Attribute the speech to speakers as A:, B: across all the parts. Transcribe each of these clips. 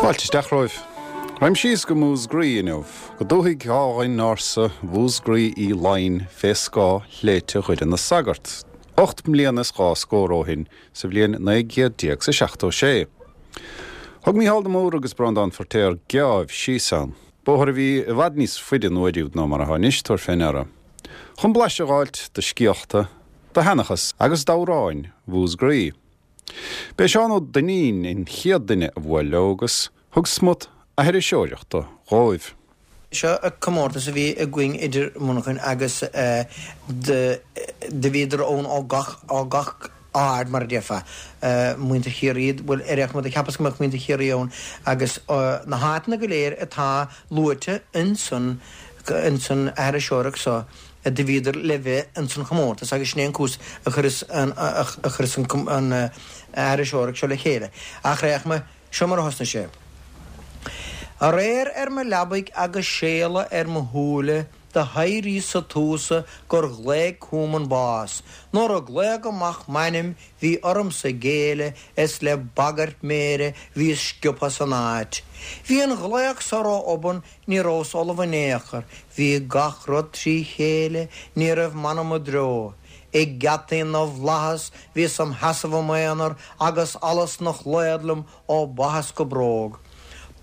A: Fáilte isteach romhaibh. Raghaim síos go Músgraí inniu, go dúthaigh álainn ársa Mhúsgraí Uí Laighin fé scáth shléibhte Dhoire na Sagart, 8 mbliana is 2 scór ó shin, sa bhliain 19 chéad is a 76. Thug Mícheál de Mórdha agus Breandán Feirtéar geábh síos ann, bóthar a bhí i bhfad níos faide an uair úd ná mar atá anois, tabhair fé ndeara, chun blaiseadh a dh'fháilt de scéalta, de sheanchas agus d'amhráin Mhúsgraí. B'é Seán Ó Duinnín an chéad duine a bhuail leo agus thug smut aithriseoireachta dhóibh.
B: Seo comórtas a bhí againn idir Muineachán agus do bhíodar ann ó gach ó gach aird mar a déarfá. Muintir Chiarraí, bhuel ar aon chuma do cheapas go mbeadh muintir Chiarraí ann agus na háiteanna go léir atá luaite insan insan aithriseoireacht so. do bhíodar le bheith ins an chomórtas agus sin é an cúis a chuireas an a chuireas an aithriseoireacht seo le chéile. Ach ar aon chuma, seo mar a thosnaigh sé. Aréir ar mo leabaidh agus séala ar mo shúile do hairíos sa tús gur ghlaoigh chugam an bás. Nuair a glaodh amach m'ainm bhí ormsa géilleadh is le bagairt méire bhíos sciobtha as an áit. Bhí an ghlaoch so ró-obann Ní rabhas ullamh in aon chor, bhí gach rud trí chéile, ní raibh m'anam i dtreo. Ag geataí na bhFlaitheas bhíos im sheasamh im aonar agus allas 'na shlaod liom ó bhaithis go bróg.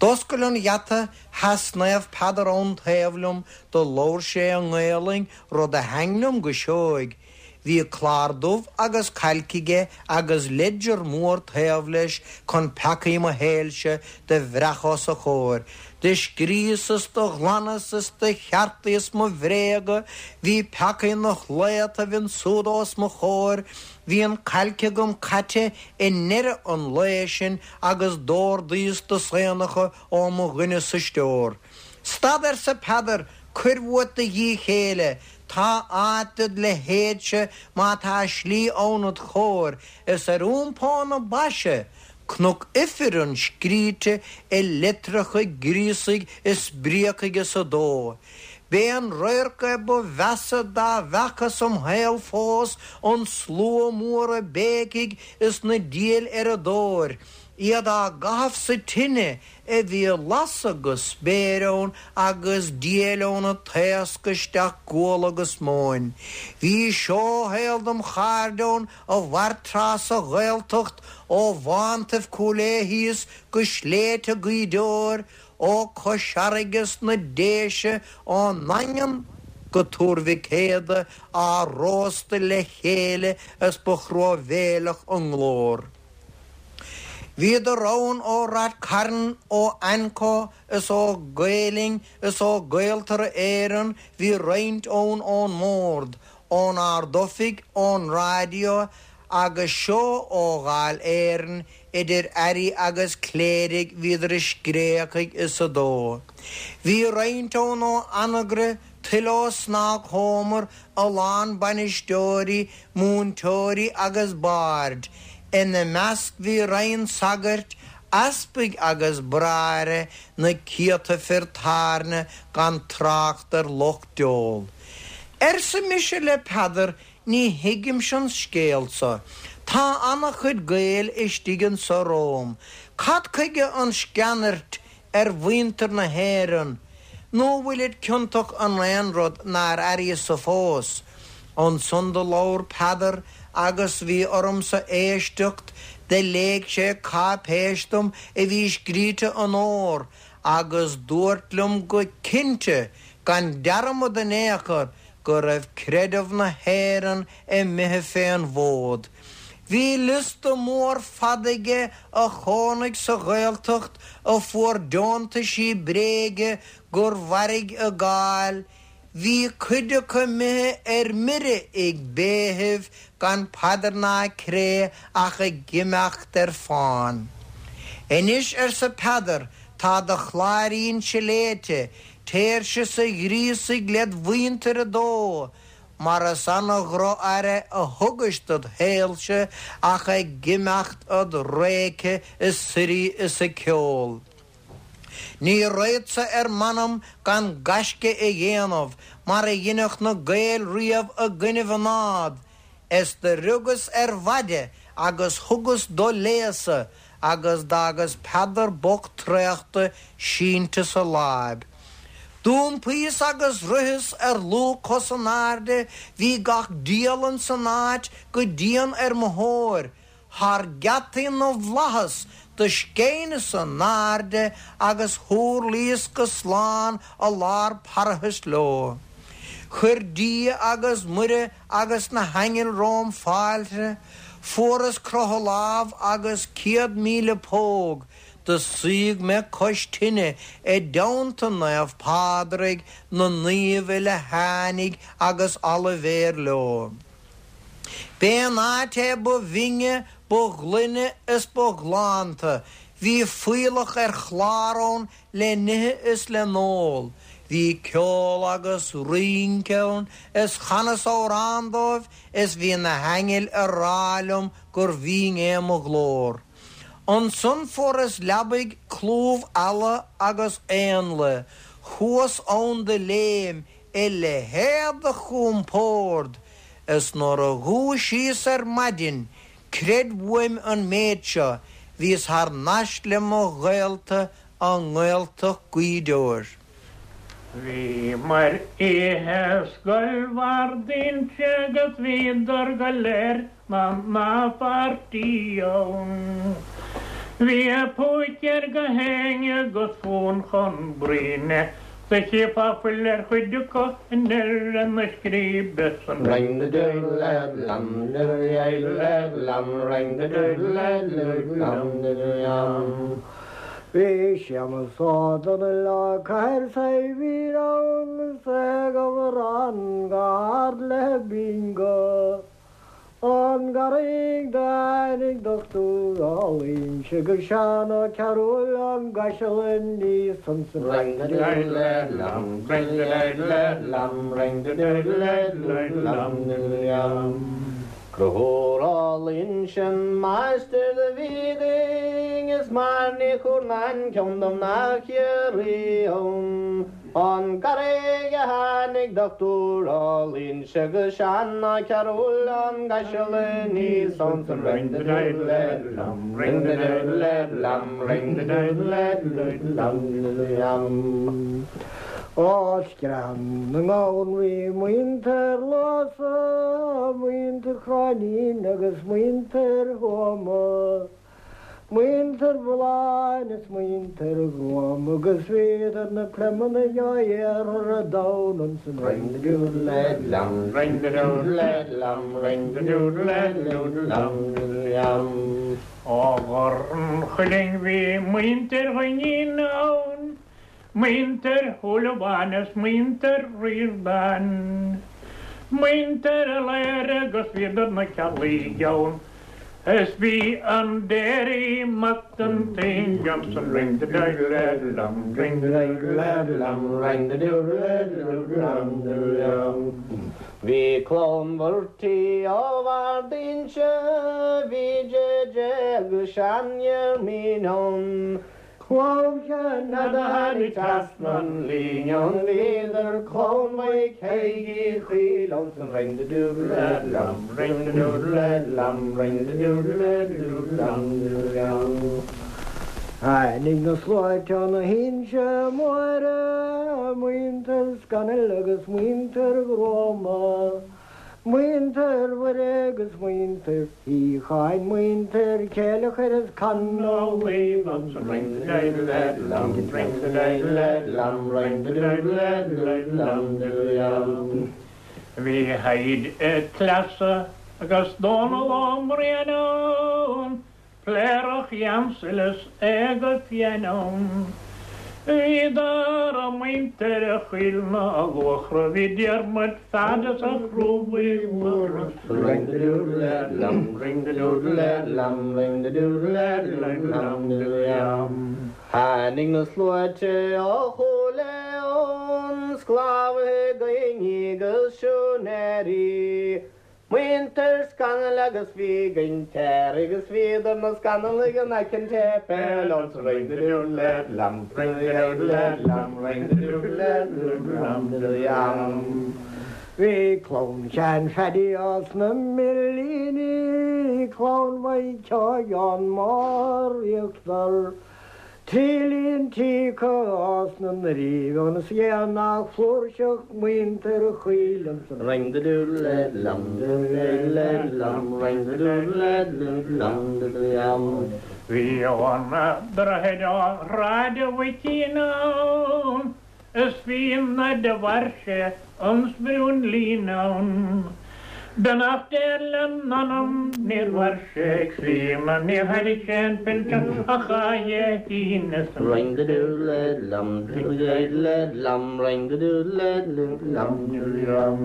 B: D'oscail an gheata, sheas Naomh Peadar ann taobh liom, do labhair sé i nGaelainn, rud a thaitn liom go seoigh. Bhí clár dubh agus cailc aige agus ledger mór taobh leis chun peacaí mo shaoilse do bhreacadh os a chomhair. Do scríos is do ghlanas is do cheartaíos mo bhréaga, bhí peacaí 'na shlaodtaibh ansúd os mo chomhair. Bhí an cailc agam caite i ndeireadh an lae sin agus d'órdaíos do saonacha ó mo dhuine sa stiúir. Stad, arsa Peadar, cuir uait do dhíth céille. Tá áit dod leithéidse má tá slí ann id chomhair, is ar iompó na baise, Cnoc Ifrinn scríte i litreacha gríosaigh is bríocaigh is a dó. B'é an radharc é ba mheasa dá bhfeacas im shaol fós, an slua mór ag béicigh is na diabhail ar a dtóir, iad á gcaitheamh sa tine a bhí ag lasadh go spéir ann agus diabhail ann ag taoscadh isteach gual agus móin. Bhí seó-shaol dem chairde ann a mhair tráth sa Ghaeltacht ó bhántaibh Chúil Aodha thíos go sléibhte Ghaoth Dobhair, ó Chois Fharraige 's na Déise, ón nDaingean go Tuar Mhic Éadaigh á róstadh le chéile is ba thruamhéileach a nglór. Bhíodar ann ó Rath Cairn, ó AnCO is ó Gael-Linn is ó Gaeltarra Éireann, bhí roinnt ann ón mBord, ón Ard-Oifig, ón Raidió agus seo ó Dháil Éireann, idir airí agus cléirigh bhíodar ag scréachaigh is ag dó. Bhí roinnt ann ó Anagaire, tuilleadh ó Snagchómar, a lán bainisteoirí, múinteoirí agus baird. Ina measc bhí roinnt sagairt, easpaig agus bráithre, na céadta fir tábhairne gan trácht ar lucht óil. Arsa mise le Peadar, ní thuigimse an scéal so. Tá ana-chuid Gael istigh anso romham. Cad chuige an sceanairt ar mhuintir na hÉireann, nó bhfuilid ciontach in aon rud nár airíos-sa fós? Ansan do labhair Peadar agus bhí ormsa éisteacht, do léigh sé cáipéis dom a bhí scríte in ór, agus dúirt liom go cinnte, gan dearmad in aon chor, go raibh creideamh na hÉireann imithe fén bhfód. Bhí liosta mór fada aige a chónaigh sa Ghaeltacht a fuair deontaisí bréige gur mhairg a gcáil, bhí cuid acu imithe ar mire ag béithibh gan paidir ná cré ach ag imeacht ar fán. Anois, arsa Peadar, tá do chláirínse léite, Téir sios a ghríosaigh led mhuintir 2 mar is ana-dhroch-aire a thugais dod shaolse ach ag imeacht a'd réice is suirí is ag ceol. Ní raghadsa ar m'anam gan gaisce a dhéanamh mar a dheineadh na Gaeil riamh i gcoinnibh a nád, is do riogas ar mhaide agus thugas do léasadh. agus d'fhágas Peadar bocht traochta sínte sa láib. D'iompaíos agus ritheas ar luath cos in airde, bhí gach diabhal insan áit go dian ar mo thóir. Thar geataí na bhFlaitheas do scéineas in airde agus thúrlaíos go slán i lár parthais leo. Chuir Dia agus Muire agus na haingil romham fáilte, fuaras croitheadh lámh agus 100,000 póg, do suíodh mé cois tine i dteannta Naomh Pádraig, na naomh uile tháinig agus Oilibhéar leo. B'é an áit é ba bhinne, ba ghlaine is ba ghlánta. Bhí fuíollach ar chlár ann le n-ithe is le n-ól. Bhí ceol agus rince ann is chanas amhrán dóibh is bhí na haingil ag rá liom gur bhinn é mo ghlór. Ansan fuaras leabaidh clúmh eala agus éanlaith. Chuas ann de léim a leithéid de chompord is nuair a dhúisíos ar maidin, creid uaim an méid seo, bhíos thar n-ais le mo ghaolta i nGaeltacht Ghaoth Dobhair.
C: Bhíomar oíche i Scoil Bhard Inse agus bhíodar go léir 'na pháirtí ann. Bhí a phúicéir go héinne agus fonn chun bruíne 's a chífeá fuil ar chuid acu i ndeireadh na scríbe san.
D: Ring the doodle lam diddle lam ring the doodle lam diddle yam. Bhí Séamus Ó Domhnaill ó Cathair Saidhbhín ann is é ag amhrán go hard le bingo. Ón gCarraig do tháinig dochtúir ó Fhoinse agus Seán Ó Cearúil ón gCaiseal aníos ansan. Ring the doodle lam ring the doodle lam ring the doodle lam diddle yam. Conchúr Ó Loingsigh an máistir do bhí againn is mar Ní Churnáin ceann de mhná Chiarraí ann. Ón gCarraig a tháinig dochtúir Ó Loingsigh agus Seán Ó Cearúil ón gCaiseal aníos ansan Ring the doodle lam ring the doodle lam ring the doodle lam diddle yam. Ó Screathan na nGamhan bhí muintir Luasa, muintir Chróinín agus muintir Thuama. Muintir Bhulláin is muintir Ghruama agus bhíodar na Pleimeannaigh ó iarthar an domhain ansan Ring the doodle lam ring the doodle lam ring the doodle lam diddle yam.
C: Ó Ghor an Chuilinn bhí muintir Dhuinnín ann, Muintir Shúilleabháin is muintir Ríordáin, muintir Laoghaire agus bhíodar na Ceallaigh ann, is bhí an Déirí Mac an tSaoi ansan ring the doodle lam ring the
D: doodle lam ring the doodle lam diddle yam. Bhí clann Mhurty ó Bhard Inse, bhí JJ agus Seán Diarmaid ann, Clann Cheanada tháinig trasna an líne ann bhíodar clann Mhaidhc Thaidhg Uí Chuill ansan ring the doodle lam ring the doodle lam ring the doodle lam diddle yam. Tháinig na sluaite ó na hInse Móire, muintir Scanaill agus muintir Ghruama. Muintir Mhuire agus muintir Shíocháin, muintir Chéileachair is Con
C: Ó Laoi ansan ring the doodle lam ring the doodle lam ring the doodle lam diddle yam. Bhí Thaidhg a' Tsleasa agus Dónal Ó Briain ann Pléireach Sheamsail is é go fiáin ann. Bhíodar a muintir a Chuill na Luachra bhí Diarmuid Pheaid is a Chrúbaigh Mhóra.
D: Ring the doodle lam ring the doodle lam ring the doodle lam diddle yam. Tháinig na sluaite ó Chúil Aodha ann, sclábhaithe daoine agus siúinéirí. Muintir Scanaill agus bhí Gintéir agus bhíodar na Scannallaigh in aice an tséipéil ansan ring the doodle lam ring the doodle lam ring the doodle lam diddle yam. Bhí clann Sheáin Phaddy as na Millíní, clann Mhaidhc Sheáin Mar Íochtar. Trí líon tí acu as na nDoirí Bheaga is ghéar nach flúirseach muintir Choill ansan. Ring the doodle lad lum doodle lad lum ring the doodle lad lum doodle yum.
C: Bhí an droichead ó Shráid a' Mhuicín ann Is bhí na de bhairse an spriún lín ann. Beannacht Dé lena anam níor mhair sé críonna níor thairg sé an pinsean ach a Dé hAoine san.
D: Ring the doodle lum doodle lum ring the doodle lum doodle yum.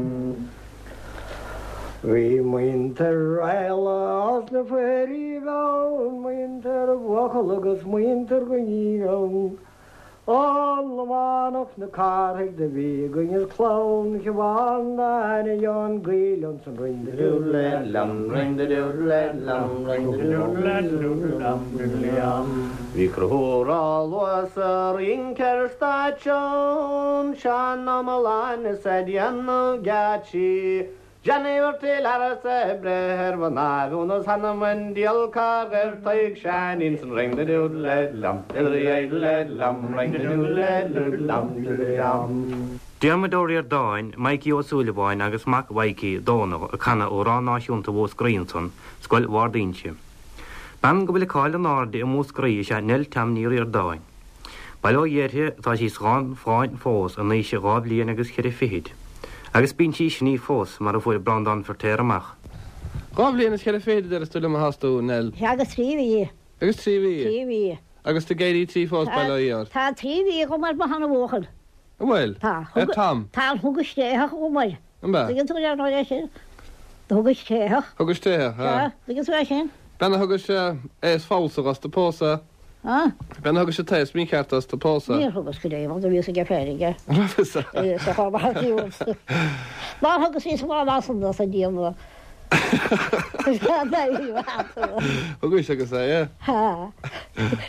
D: Bhí muintir Raghallaigh as na Foirithí ann, muintir Bhuachalla agus muintir Ghní ann. An Lománach na Cárthaigh do bhí againn is clann Shiobhán Áine Sheáin Gaoil ansan ring the doodle lum ring the doodle lum ring the doodle lum doodle yum. Bhí Conchúr Ó Luasa sa rince ar stáitse ann, Seán Ó Mealláin is ag déanamh geáitsí, Johnny Mhurty Learas ag breith ar mhná bhún is th'anam 'on diabhal cár ghoir Tadhg Sheáinín san ring the doodle lum diddle lum ring the doodle lum diddle yum.
E: Diarmuid Ó Ríordáin, Mikey Ó Súilleabháin agus mac Mhaidhcí, Dónal, ag canadh Amhrán Náisiúnta Mhúscraí ansan, Scoil Bhard Inse. Bean go bhfuil a cáil in airde i Múscraí is ea Nell Tom Ní Ríordáin. Bail ó Dhia uirthi, tá sí slán folláin fós in aois a dhá bhliain agus cheithre fichid. Agus bíonn sí ag sní fós, mar a fuair Breandán Feirtéar amach.
F: Dhá bhliain is cheithre fichid a deireas tú liom atá tú, Nell.
G: Sea, agus trí mhí.
F: Agus trí mhí?
G: Trí mhí.
F: Agus tú ag éirí trí fós, bail ó Dhia ort.
G: Tá trí mhí agam ar mo sheana-bhuachaill.
F: An bhfuil?
G: Tá.
F: Ar Tom?
G: Tá, thugais tréitheach dhom air.
F: An ea?
G: Tuigeann tú ar ndóigh é sin. Do thugais tréitheach.
F: Thugais tréitheach,
G: ea. Sea, tuigeann tú é sin.
F: Bean a thugais aos falsa dhos do pósadh.
G: Ah.
F: Bean a thugais an t-aos mícheart dhos do pósadh.
G: Níor thugas go deo, do bhíos aige féin aige.
F: An raibh fhios
G: agat? Bhí fhios agam, ach bhí fhios. Nár thugas fhios lá ná san dos an diabhal.
F: Thugais agus é,
G: yeah. Ha.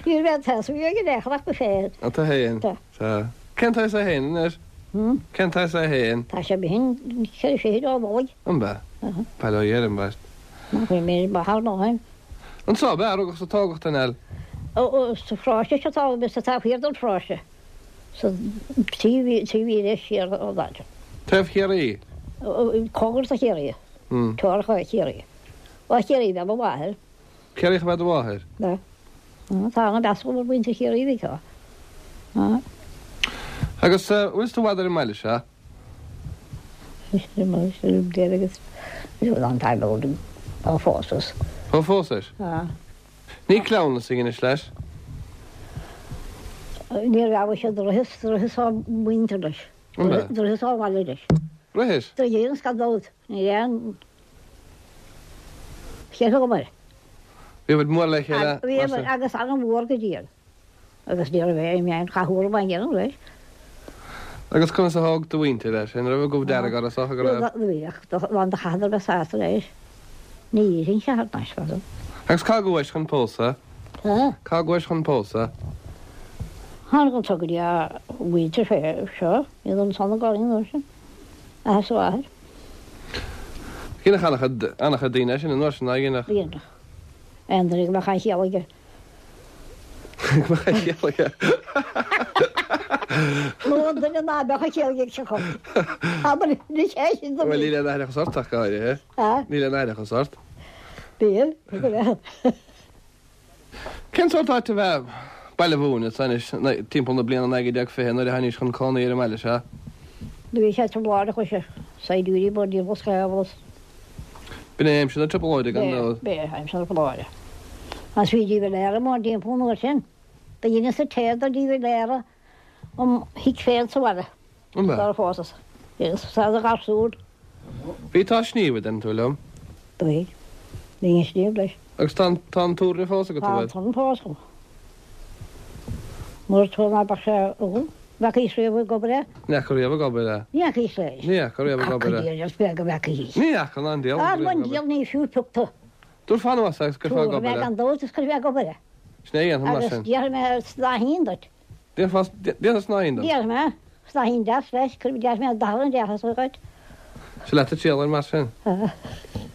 G: Ní raibh an t-aos a bhí aige le ach go féin.
F: An tú féin?
G: Tá.
F: Tá. Cén t-aos é féin anois?
G: Hmm?
F: Cén t-aos é féin?
G: Tá sé b'shin cheithre fichid ó Nollaig.
F: An b'ea? Bail ó Dhia ar an mbeirt.
G: Nach bhfuil mé ba thar ná shin.
F: Anso ab ea a rugadh is a tógadh tú, Nell?
G: Sa pharóiste seo tá mé sa taobh thiar den pharóiste, sa trí mhíle siar ón áit.
F: Taobh Chiarraí?
G: Cóngar do Chiarraí. Teoracha Chiarraí. Ó Chiarraí ab ea mo mháthair.
F: Ciarraíoch ab ea do mháthair?
G: Ba. Tá an-mheas agam ar mhuintir Chiarraí, bhí.
F: Agus bhfuil tú i bhfad ar an mbaile seo? Ó phósais? Ní cleamhnas a dheinis leis?
G: Ní raibh sé do rithis, do rithis á muintir leis. Do rithis á bhaile leis.
F: Rithis?
G: Do dheineas gan dabht. Ní raibh cheithre agam air.
F: Bhí mór le chéile.
G: Bhí agus an-mhór go diail. Agus ní raibh aon mheáin chathúla mar gheall leis.
F: Agus conas a thóg do mhuintir é sin? Raibh goimh dearg orthu is dócha go raibh?
G: Bhí, ach do chaitheadar bheith sásta leis. Ní dhéarfainn thar n-ais fada.
F: Agus cá gcuais chun pósadh? Cá gcuais chun pósadh?
G: Tháinig anso go dtí a mhuintir fé seo, iad ansan i gCorn an uair sin, athair is a mháthair.
F: Dheineadh an-chuid, an-chuid daoine é sin an uair sin, ná dheineadh?
G: Dheineadh. Aon duine go mbeadh aon chiall aige. Nó an duine ná beadh a chiall ag seo. Abair ní sé sin
F: Bhuel níl aon aithreachas ort ach go háirithe. Níl aon aithreachas ort.
G: Bíonn, go raibh.
F: Cén sórt áit ab ea Baile Mhúirne anois timpeall na bliana 1920 nuair a tháinís chun cónaí ar an mbaile seo?
G: Do bhí sé trioblóideach leis na saighdiúirí bord sceamhlas.
F: B'in é aimsir na trioblóide gan dabht.
G: B'é aimsir na trioblóide. Agus bhí De Valera mórthimpeall an uair sin. Do dheineas an téad do De Valera im thigh féin sa bhaile.
F: An b'ea?
G: Sara phósas. Dheineas sa do gharsún.
F: Bhí tú á sníomh, a deireann tú liom.
G: Do bhí. Bhínn ag sníomh leis.
F: Agus tá an, tá an túirne fós agat, an
G: bhfuil? Tá an túrn fós agam. Nuair a ná beadh sé agam. Bhfeacaís riamh ag obair é?
F: Ní fhaca riamh ag obair é.
G: Ní fhacaís leis.
F: Ní fhaca riamh ag obair é.
G: Cac is beag a bhfeacaís.
F: Ní fhaca ná an diabhal
G: riamh ag obair. An diabhal ní fiú pioc tu.
F: Tabharfá anuas é agus cuirfeá ag
G: obair é. Tabharfaidh mé gan dabht is cuirfidh mé ag obair é.
F: Sin é a dhéanfaidh mar sin.
G: Agus déarfaidh mé snáithín duit.
F: Déarfá, déarfá snáithín dom.
G: Déarfaidh mé snáithín deas leis, cuirfidh, déarfaidh mé dath an deas dhuit.
F: Sea leat ag triall air mar sin.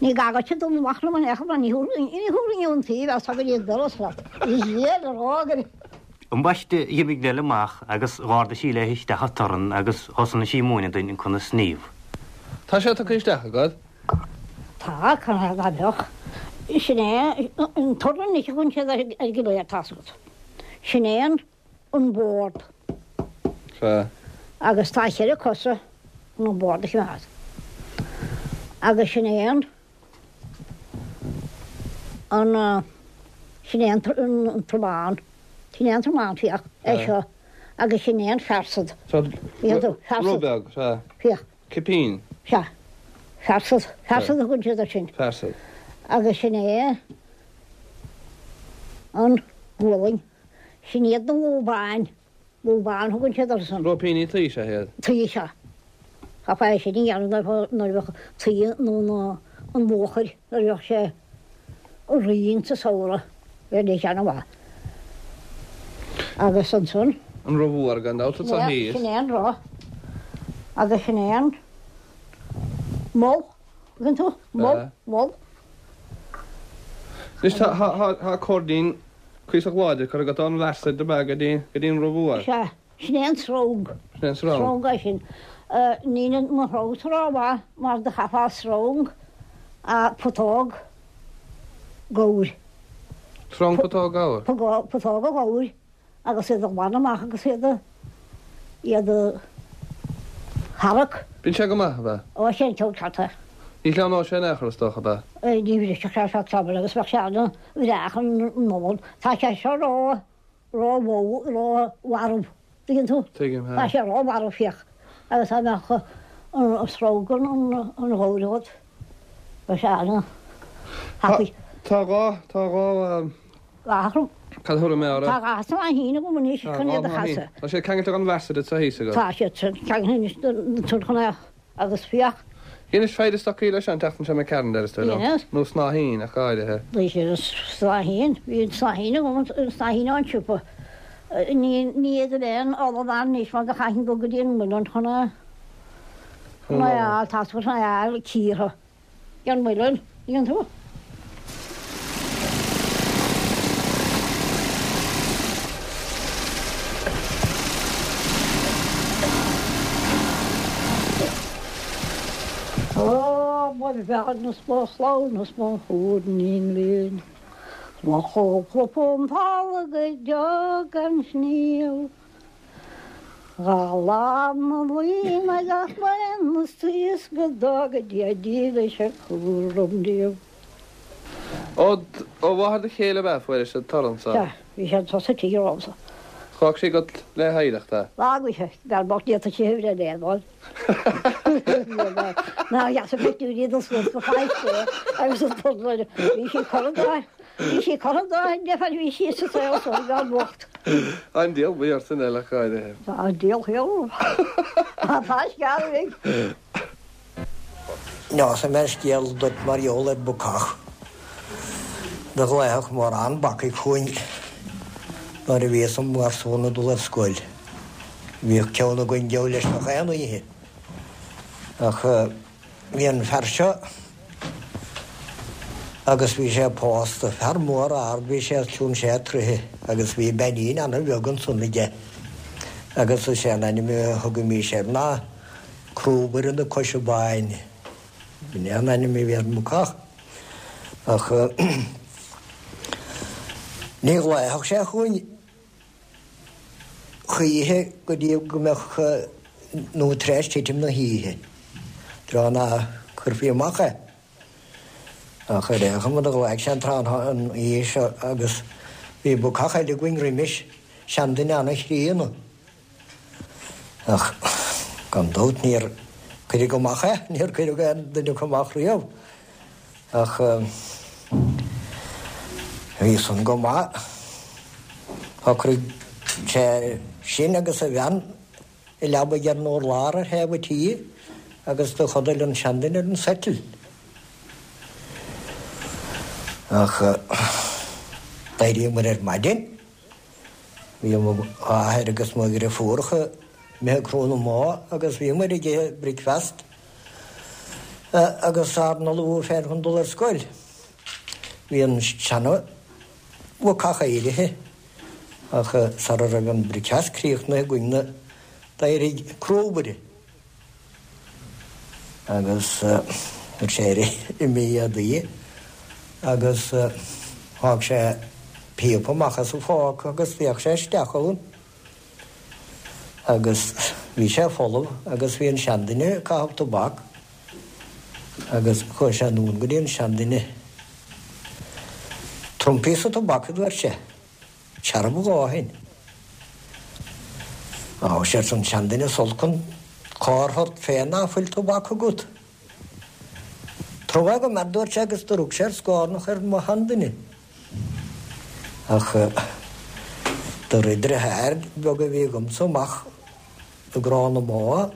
G: Ní gá duit dul amach liom in aon chor, ní thabharfainn ón taobh as go dtí an doras leat. Is é le rá gur.
E: Ambaiste dh'imigh Neil amach agus dh'ardaigh sí léi isteach an torann agus thosnaigh sí ag múineadh duinn conas sníomh.
F: Tá sé tugtha isteach agat?
G: Tá, cá mbeadh? Sin é an torann anois a thugann siad air go léir, tá's agat. Sin é an an bord.
F: Sea.
G: Agus tá cheithre cosa chun an bord a choimeád. Agus sin é an an sin é an tromán. Sin é an tromán, féach, é seo. Agus sin é an fearsad.
F: Sea, rud beag, sea.
G: Féach.
F: Cipín.
G: Sea. Fearsad. Fearsad a thugann siad air sin.
F: Fearsad.
G: Agus sin é an ghualainn. Sin iad na lúbáin. Lúbáin a thugann siad orthu san.
F: Róipíní tuí sea iad.
G: Tuí sea. Chaithfeá é sin a dhéanamh nuair a bheadh tuí nó an luachair, nuair a bheadh sé righin sa samhradh, bheadh sé ana-mhaith. Agus ansan.
F: An roth mhór gan dabht atá thíos.
G: Sin é an roth. Agus sin é an mol. Tuigeann tú? Mol, mol.
F: Anois tá cóirdín cuíosach láidir curtha agat ón bhfearsad ab ea go dtí an roth mhór.
G: Sea. Sin é an srong.
F: Sin é an srong.
G: Srong é sin. Níl mo shrongsa rómhaith mar do chaithfeá srong a putóg gabhair.
F: Srong putóg gabhair?
G: Putóga gabhair agus iad a ghlanadh amach agus iad a, iad a tharrac.
F: Bíonn sé go maith, ab ea?
G: Ó, sé an ceann ceart é.
F: Ní shleamhnóidh sé in aon chor is dócha, ab
G: ea? Ní bhrisfeadh sé ar feadh tamaill agus bheadh sé ana-bhreá chun Nollag. Tá sé seo ró, ró-mhó, ró-mharbh, tuigeann tú?
F: Tuigim,
G: Tá sé ró-mharbh, féach. Agus dá mbeadh an srong an ghabhair agat, bheadh sé ana-thapaidh.
F: Tá dhá, tá dhá.
G: Dhá.
F: Cad a thabharfaidh mé orthu?
G: Tá dhá shnáithín agam anois chun iad a chasadh.
F: Tá siad ceangailte den bhfearsad atá thíos agat.
G: Tá siad ceangailte anois den chun é agus féach.
F: Dheinis feide stocaí leis an tseachtain seo imigh tharainn, deir tú liom. Nó snáithín, ach go háirithe.
G: Bhí sé an snáithín, bhí an snáithín agam, an snáithín ón siopa. Ní fhéadfadh a bheith an olann ann anois mar do chaithfinn dul go dtí an muileann chun é, chun é a fháil, tá chun é a fháil cíortha. An muileann, tuigeann tú? Ó, mo bhean is mo chlann is mo thuirnín linn, Mo chúpla punt folamh go deo gan sníomh. Dhá lá na bliana gach bliain is is go dtuga Dia dílis a cúram díobh.
F: Ó mháthair do chéile ab ea a fuairis an torann
G: so? Sea, bhí sé anso sa tigh romhamsa.
F: D'fhág sí agat le hoidhreacht é?
G: D'fhág mise, bean bocht ní fhéadfadh sí a bhreith le fáil. Ná dheas a pictiúirí dul suas go faighte agus an torann bhí sí curtha dá Bhí sí curtha dá deifir, bhí sí sa saol so, an bhean bhocht.
F: An diabhal buí ort san eile ach go háirithe.
G: Tá an diabhal thiar orm. Tá an sceal uaidh.
D: Neosfaidh mé scéal duit mar gheall ar bhacach. Do ghlaofadh mórán bacaigh chugainn nuair a bhíos im gharsún ag dul ar scoil. Bhíodh ceann againn geall leis gach aon oíche. Ach Bhí an fear seo agus bhí sé pósta, fear mór ard, bhí sé os cionn sé troighthe agus bhí beainín ana bheag ansan aige agus is é an ainm a thugaimís air ná Crúbaire na Coise Báine. B'in é an ainm a bhí ar an mbacach. Ach ní ghlaofadh sé chugainn. choíche go dtí go mbeadh nó tar éis titim na hoíche, tráth ná cuirfí amach é. Ach ar aon chuma do ghlaoigh sé an tráth an oíche seo agus bhí bacach eile againn roimis, seanduine ana-chríonna. Ach gan dabht níor cuireadh amach é, níor cuireadh aon duine acu amach riamh. Ach bhí san go maith. Shocraigh sé sin agus a bhean i leabaidh ar an urlár ar thaobh an tí agus do chodail an seanduine ar an settee. Ach d'éiríomair ar maidin. Bhí m'athair agus mo dhriofúracha imithe ag crú na mbó agus bhíomair ag ithe bricfeast. Agus ár n-ullmhú féin chun dul ar scoil, bhí an seana-bhacach éirithe ach sara raibh an bricfeast críochnaithe againn d'éirigh crúbaire agus chuir sé air a éadaí agus thóg sé píopa amach as a phóca agus d'fhéach sé isteach ann. Agus bhí sé folamh agus bhí an seanduine ag caitheamh tobac agus chuaigh sé anonn go dtí an seanduine. Tabhair dom píosa tobac a dúirt sé. Searbh a dhóthain. Á, arsa an seanduine is olc an cor ort féin ná fuil tobac agat. Tabhair dhom é a dúirt sé agus do rug sé ar scornach ar mo sheanduine. Ach do rith deartháir beag a bhí agamsa amach i gcró na mbó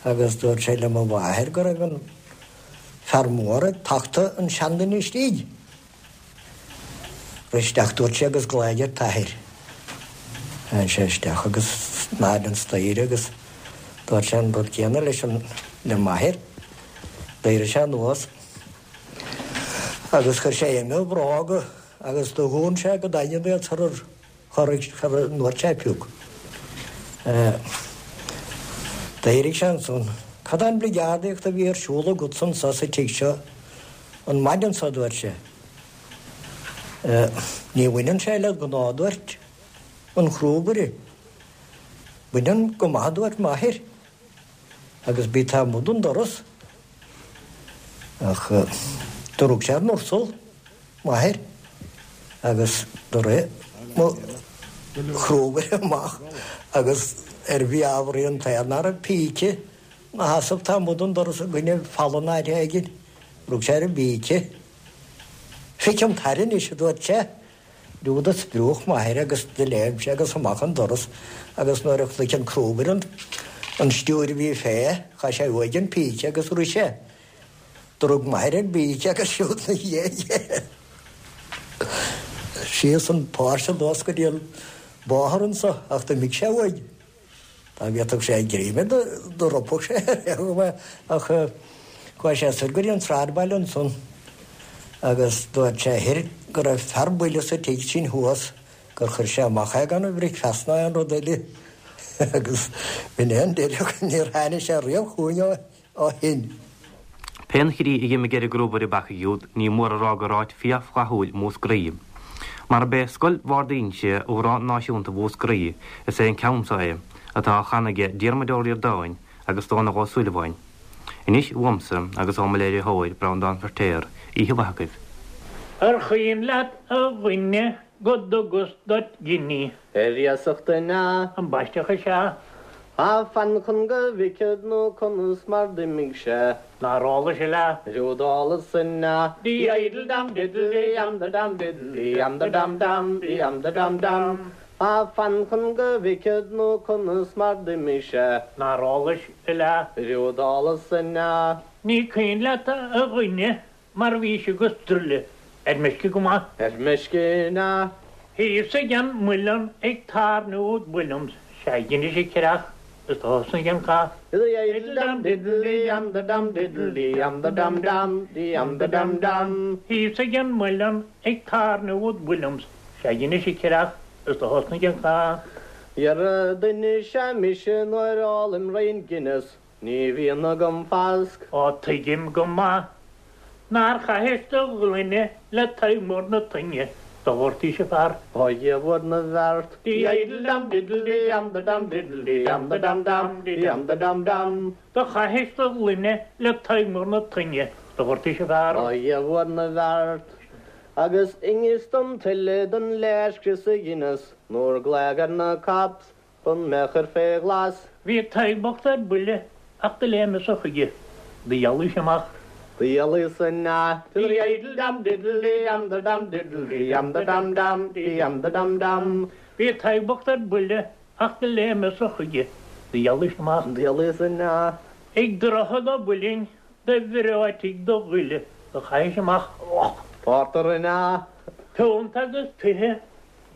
D: agus dúirt sé le mo mháthair go raibh an fear mór ag tachtadh an seanduine istigh. Rith isteach dúirt sé agus glaoigh ar t'athair. Tháinig sé isteach agus in airde an staighre agus dúirt sé an rud céanna leis an le m'athair. D'éirigh sé anuas. Agus chuir sé uime a bhróga agus do dhún sé go daingean iad sarar chorraigh, sara ndúirt sé pioc. D'éirigh sé ansan. Cad é an bligeardaíocht a bhí ar siúl agatsa anso sa tigh seo an maidin so, a dúirt sé. Ní bhaineann sé le gnáth, a dúirt an crúbaire. Baineann go maith, a dúirt m'athair. Agus bí taobh amuigh den doras. Ach do rug sé ar an ursal, m'athair, agus do rith mo chrúbaire amach agus ar mheabhraigh an t-aon ná raibh píce 'na sheasamh taobh amuigh den doras i gcoinne falla in áit éigin, rug sé ar an bpíce. Feicim t'athair anois, a dúirt sé. Rud a spriúch m'athair agus do léim sé agus amach an doras agus nuair a chonaic an crúbaire an stiúir a bhí fé, chaith sé uaidh an píce agus rith sé. Do rug m'athair ar an bpíce agus siúd 'na dhiaidh é. Síos an póirse anuas go dtí an bóthar anso ach d'imigh sé uaidh. Dá bhféadfadh sé greim air do ropfadh sé air ach chuaigh sé soir go dtí an sráidbhaile ansan agus dúirt sé thoir go raibh fear buile sa tigh sin thuas gur chuir sé amach é gan a bhricfeasta ná aon rud eile agus b'in é an deireadh níor tháinig sé riamh chugainn ó shin.
E: Pén chaoi a d'imigh ar an gcrúbaire bacaigh úd, ní mór a rá gur áit fíorfhlaithiúil Múscraí. Mar b'é Scoil Bhard Fhínse amhrán náisiúnta Mhúscraí, is é an ceann seo é, atá á chanadh aige Diarmuid Ó Ríordáin agus Dónall Ó Súilleabháin. Anois uaimse agus ó mo léiritheoir, Breandán Feirtéar, oíche mhaith agaibh.
C: Ar chuimhin leat a dhuine go dtugas duit giní.
H: Ar iasacht an ea?
C: Ambaisteach is ea.
H: Á fan chun go bhfeicfead nó conas mar d'imigh sé.
C: Nár ólais a leath.
H: Riú d'ólas an ea? Dí-idle dam diddle dee am da dam diddle dee am da dam dam dee am da dam dam. Á fan chun go bhfeicfead nó conas mar d'imigh sé.
C: Nár ólais a leath.
H: Riú d'ólas an ea?
C: Ní cuimhin leat a dhuine Mar bhís agus druile ar meisce go maith.
H: Ar meisce an ea?
C: Thíos ag an muileann ag tairniú Williams sea dheinis an creach is do thosnaigh an cath.
H: Diddle dam diddle dee am da dam diddle dee am da dam dam dee am da dam dam.
C: Thíos ag an muileann ag tairniú Williams sea dheinis an creach is do thosnaigh an cath.
H: Dhera duine is ea mise nuair a ólaim roinnt Guinness Ní bhíonn agam fasc.
C: Ó tuigim go maith nár chaithis do ghloine le Tadhg Mór na Toinne, do ghortaís an fear.
H: Ó Dhia mhór na bhfeart. Dí-idle dam diddle dee am da dam diddle dee am da dam dam dee am da dam dam.
C: Do chaithis do ghloine le Tadhg Mór na Toinne, do ghortaís an fear.
H: Ó Dhia mhór na bhfeart. Agus inis dom tuilleadh den léirscrios a dheineas nuair glaodh ar na cops Chun mé a chur fé ghlas.
C: Bhí Tadhg bocht ar buile ach do léimeas-sa chuige, do dhealaíos amach.
H: Do dhealaíos an ea. Diddle dam diddle dee am da dam diddle dee am da dam dam dee am da dam dam.
C: Bhí Tadhg bocht ar buile ach do léimeas-sa chuige, do dhealaíos amach.
H: Do dhealaíos an ea.
C: Ag Droichead a' Mhuilinn do bhreoitigh do ghoile, do chaithis amach.
H: Pórtar an ea.
C: Piúnt agus tithe.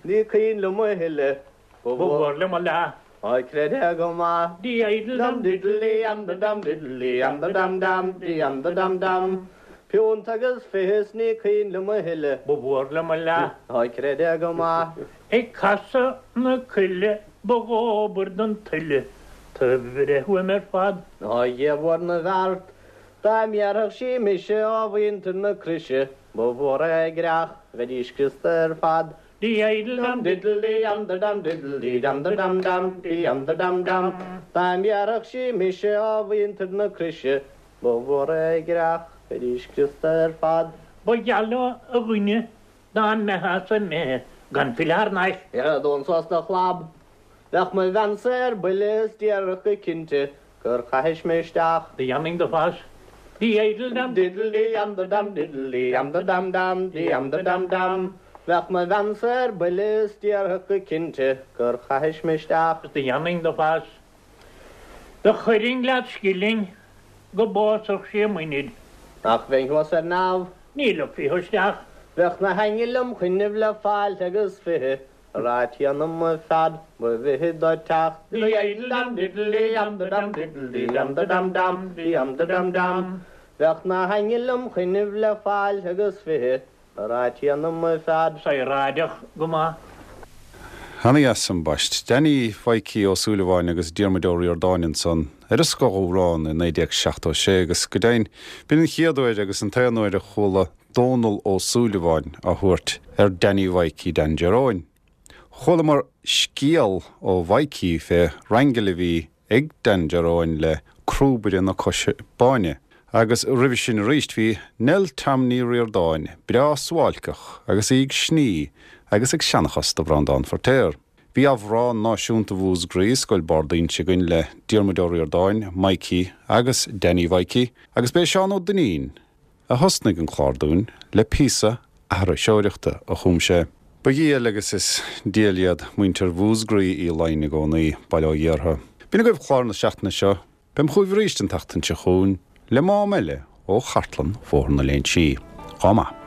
H: Ní cuimhin liom a thuilleadh.
C: Ba mhór liom a leath.
H: Á creid é go maith. Diddle dam diddle am da dam diddle am da dam dam di am da dam dam. Punt agus fiche is ní cuimhin liom a thuilleadh. Ba mhór liom a leath. Á creid é go maith. Ag casadh na coille ba dhóbair don tuile taobh a bhreith uaim ar fad. Á Dhia mhór na bhfeart, dá mbéarfadh sí mise ó mhuintir na Croise, ba mhór é a gcreach, bheidís scriosta ar fad. Diddle dam diddle dee am da dam diddle dee dam da dam dam dee am da dam dam Dá mbéarfadh sí mise ó mhuintir na Croise ba mhór é a gcreach, bheidís scriosta ar fad. Ba gheall leo a dhuine dá mbeitheá-sa imithe gan filleadh thar n-ais. Ar domhan suas do chlab. Bheadh mo bhean-sa ar buile is déarfadh go cinnte gur chaithis mé isteach. Do dhéanfainn do phas. Diddle dam diddle dee am da dam diddle dee am da dam dam dee am da dam dam Bheadh mo bhean-sa ar buile is déarfadh go cinnte gur chaithis mé isteach. Do dhéanfainn do phas. Do chuirfinn leat scilling go bpósfadh sí a muinir. Nach bheinn thuas ar neamh. Ní ligfí thú isteach. Bheadh na haingil im choinnibh le fáilte agus 20 Ar fhaitíos orm ar fad ba mhithid dó teacht. Diddle dam diddle dee am da dam diddle dee am da dam dam dee am da dam dam Bheadh na haingil im choinnibh le fáilte agus 20 Ar fhaitíos orm ar fad. Saoráideach go maith.
A: Ana-dheas ambaist. Danny Mhaidhcí Ó Súilleabháin agus Diarmuid Ó Ríordáin ansan ar an scoth-amhrán i 1976 agus go deimhin b'in an chéad uair agus an t-aon uair a chuala Dónall Ó Súilleabháin á thabhairt ar Danny Mhaidhcí Dan Jer Eoghain. Chualamar scéal ó Mhaidhcí fé raingil a bhí ag Dan Jer Eoghain le Crúbaire na Coise Báine. Agus roimhe sin arís bhí Nell Tom Ní Ríordáin breá suáilceach agus í ag sní agus ag seanchas do Bhreandán Feirtéar. Bhí Amhrán Náisiúnta Mhúscraí, Scoil Bard Inse againn le Diarmuid Ó Ríordáin, Maidhcí agus Danny Mhaidhcí agus b'é Seán Ó Duinnín a thosnaigh an clár dúinn le píosa aithriseoireachta a chum sé. Ba dhiail agus is diail iad muintir Mhúscraí Uí Laighin i gcónaí, bail ó Dhia orthu. B'in agaibh clár na seachtaine seo. Beam chugaibh arís an tseachtain seo chugainn le mám eile ó chartlann Bhóthar na Léinsí. Dhá maith.